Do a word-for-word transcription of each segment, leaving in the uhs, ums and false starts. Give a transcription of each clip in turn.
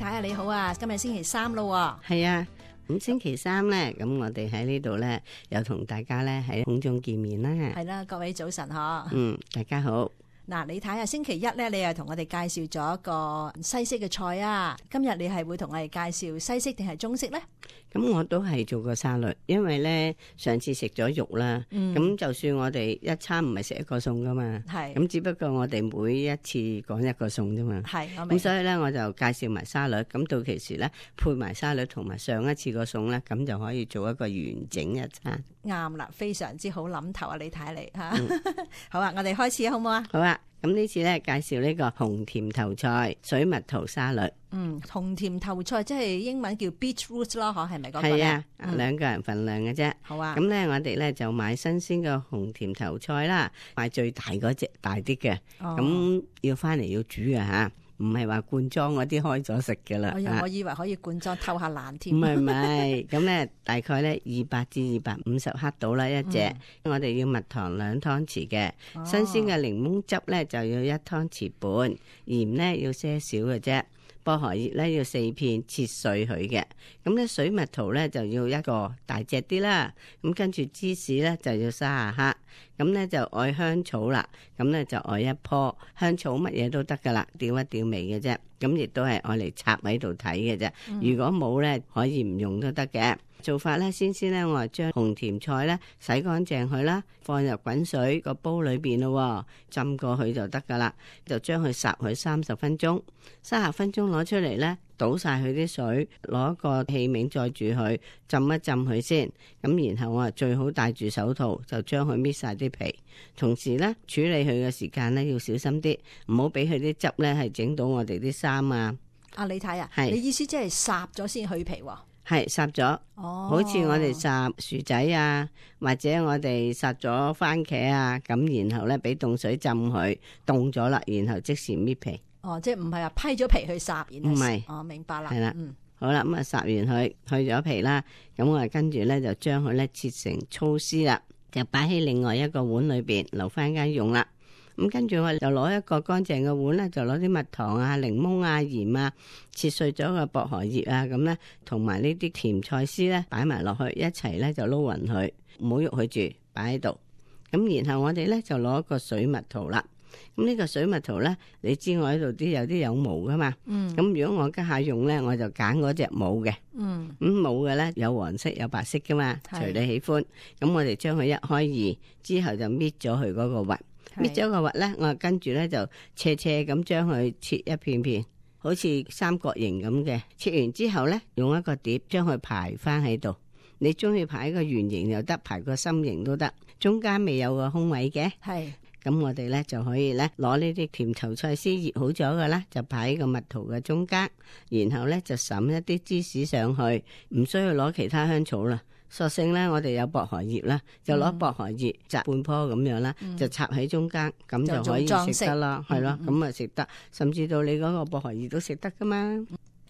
太啊，你好啊，今日星期三咯。係啊，咁星期三咧，咁我哋喺呢度咧，又同大家咧喺空中見面啦。係啦，各位早晨嗬。嗯，大家好。嗱，你睇下星期一咧，你又同我哋介紹咗一個西式嘅菜啊。今日你係會同我哋介紹西式定係中式咧？咁我都係做個沙律，因為咧上次食咗肉啦，咁、嗯、就算我哋一餐唔係食一個餸噶嘛，係咁只不過我哋每一次講一個餸啫嘛，係咁所以咧我就介紹埋沙律，咁到其時咧配埋沙律同埋上一次個餸咧，咁就可以做一個完整一餐。啱啦，非常之好諗頭啊！你睇你吓，嗯、好啊，我哋開始好唔好啊？好啊。咁呢次咧介紹呢個紅甜頭菜水蜜桃沙律。嗯，紅甜頭菜即係英文叫 beetroot 咯，嗬，係咪嗰個？係啊，嗯、兩個人份量嘅啫。好啊。咁咧我哋咧就買新鮮嘅紅甜頭菜啦，買最大嗰隻大啲嘅。哦。咁要翻嚟要煮嘅吓。唔係話罐裝嗰啲開咗食嘅啦。哎呀，我以為可以罐裝偷下懶添。唔係唔係，咁咧大概咧二百至二百五十克到啦一隻。嗯、我哋要蜜糖兩湯匙嘅，哦、新鮮嘅檸檬汁咧就要一湯匙半，鹽咧要些少嘅啫。薄荷葉咧要四片切碎佢嘅，咁咧水蜜桃咧就要一個大隻啲啦，咁跟住芝士咧就要三十克，咁咧就愛香草啦，咁咧就愛一棵香草，乜嘢都得噶啦，調一調味嘅啫，咁亦都係愛嚟插喺度睇嘅啫，嗯、如果冇咧可以唔用都得嘅。做法咧，先先咧，我係將紅甜菜咧洗乾淨佢啦，放入滾水個煲裏邊咯，浸過去就得噶啦。就將佢烚佢三十分鐘，三十分鐘攞出嚟咧，倒晒佢啲水，攞個器皿載住佢，浸一浸佢先。咁然後我係最好戴住手套，就將佢搣晒啲皮。同時咧，處理佢嘅時間咧要小心啲，唔好俾佢啲汁咧係整到我哋啲衫啊。啊，你睇啊，係你意思即係烚咗先去皮喎？係烚咗，哦、好似我哋烚薯仔啊，或者我哋烚咗番茄啊，咁然後咧俾凍水浸佢，凍咗啦，然後即時搣皮。哦，即係唔係話批咗皮去烚，唔係，是哦，明白啦，係啦，嗯，好啦，咁啊烚完佢，去咗皮啦，咁我啊跟住咧就將佢咧切成粗絲啦，就擺喺另外一個碗裏邊，留翻間用啦。咁跟住我就攞一個乾淨嘅碗咧，就攞啲蜜糖啊、檸檬啊、鹽啊，切碎咗個薄荷葉啊，咁咧同埋呢啲甜菜絲咧擺埋落去一齊咧就撈勻佢，唔好喐佢住，擺喺度。咁然後我哋咧就攞一個水蜜桃啦。咁呢個水蜜桃咧，你知我喺度啲有啲有毛噶嘛？嗯。咁如果我家下用咧，我就揀嗰隻冇嘅。嗯。咁冇嘅咧，有黃色有白色噶嘛，隨你喜歡。咁我哋將佢一開二之後就搣咗佢嗰個核。搣咗個核咧，我跟住咧就斜斜咁將佢切一片片，好似三角形咁嘅。切完之後咧，用一個碟將佢排翻喺度。你中意排個圓形又得，排個心形都得。中間未有個空位嘅，係咁我哋咧就可以咧攞呢啲甜頭菜絲醃好咗嘅啦，就擺喺個蜜桃嘅中間，然後咧就灑一啲芝士上去，唔需要攞其他香草啦。索性咧，我哋有薄荷葉啦，就攞薄荷葉摘半棵咁樣啦，嗯、就插喺中間，咁、嗯、就可以食得啦，係咯，咁啊食得，甚至到你嗰個薄荷葉都食得噶嘛。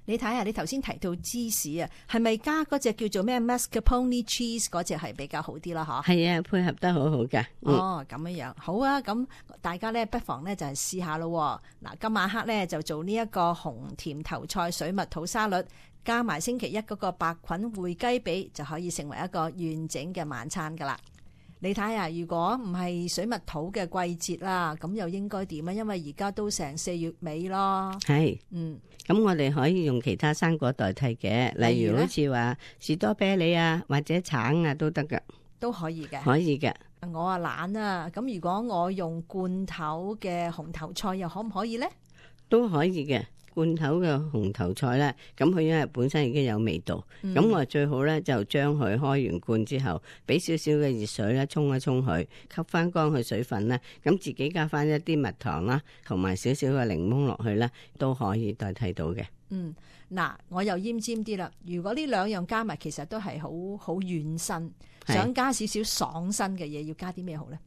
你睇下，你頭先提到芝士啊，係咪加嗰隻叫做咩 mascarpone cheese 嗰隻係比較好啲啦？嗬，係啊，配合得好好噶。嗯、哦，咁樣樣好啊，咁大家咧不妨咧就係試下咯。嗱，今晚黑咧就做呢一個紅甜頭菜水蜜桃沙律。加埋星期一嗰個白菌燴雞髀，就可以成為一個完整嘅晚餐噶啦。你睇下，如果唔係水蜜桃嘅季節啦，咁又應該點啊？因為而家都成四月尾咯。係，嗯，咁我哋可以用其他生果代替嘅，例如好似話士多啤梨啊，或者橙啊都得噶，都可以嘅，可以嘅。我啊懶啊，咁如果我用罐頭嘅紅頭菜，又可唔可以呢？都可以嘅。罐頭嘅紅頭菜咧，咁佢因為本身已經有味道，咁、嗯、我最好咧就將佢開完罐之後，俾少少嘅熱水咧沖一沖佢，吸翻乾佢水分咧，咁自己加翻一啲蜜糖啦，同埋少少嘅檸檬落去咧，都可以代替到嘅。嗯，嗱，我又奄尖啲啦。如果呢兩樣加埋，其實都係好好軟身，是想加少少爽身嘅嘢，要加啲咩好咧？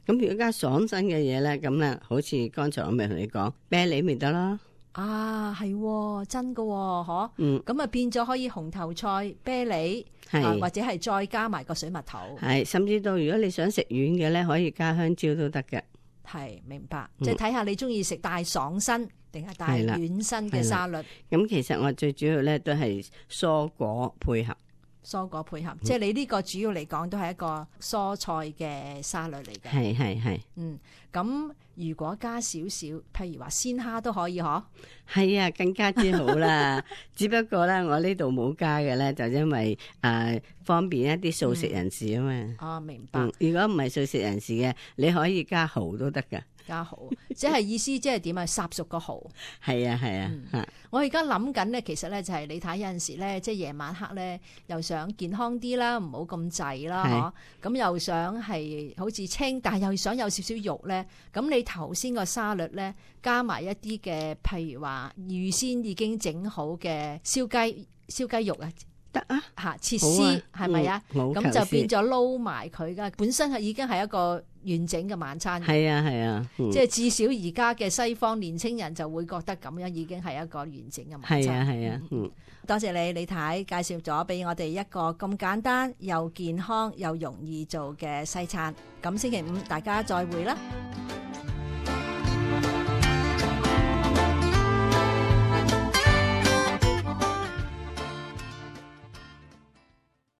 咁如果加爽身嘅嘢咧，咁咧好似剛才我咪同你講啤梨咪得咯。啊，係真噶，嗬，嗯，咁啊變咗可以紅頭菜、啤梨，係、啊、或者係再加埋個水蜜桃，係，甚至到如果你想食軟嘅咧，可以加香蕉都得嘅。係，明白，嗯、即係睇下你中意食大爽身定係帶軟身嘅沙律？咁其實我最主要咧都係蔬果配合。蔬果配合，嗯、即係你呢個主要嚟講都係一個蔬菜嘅沙律嚟嘅。係係係。嗯，咁如果加少少，譬如話鮮蝦都可以嗬？係啊，更加之好啦。只不過咧，我呢度冇加嘅咧，就因為誒、呃、方便一啲素食人士啊嘛。嗯、哦，明白。嗯、如果唔係素食人士嘅，你可以加蠔都得噶。加蠔，即係意思即係點啊？烚熟個蠔。係啊係啊，嗯、我而家諗緊咧，其實咧就係你睇有陣時咧，即係夜晚黑咧，又想健康啲啦，唔好咁滯啦，嗬。咁又想係好似清，但係又想有少少肉咧。咁你頭先個沙律咧，加埋一啲嘅，譬如話預先已經整好嘅燒雞、燒雞肉啊。得啊，吓切絲係咪啊？咁、嗯、就變咗撈埋佢噶，本身係已經係一個完整嘅晚餐。係啊係啊，嗯、即係至少而家嘅西方年青人就會覺得咁樣已經係一個完整嘅晚餐。係啊係啊，嗯，多謝你李太介紹咗俾我哋一個咁簡單又健康又容易做嘅西餐。咁星期五大家再會啦。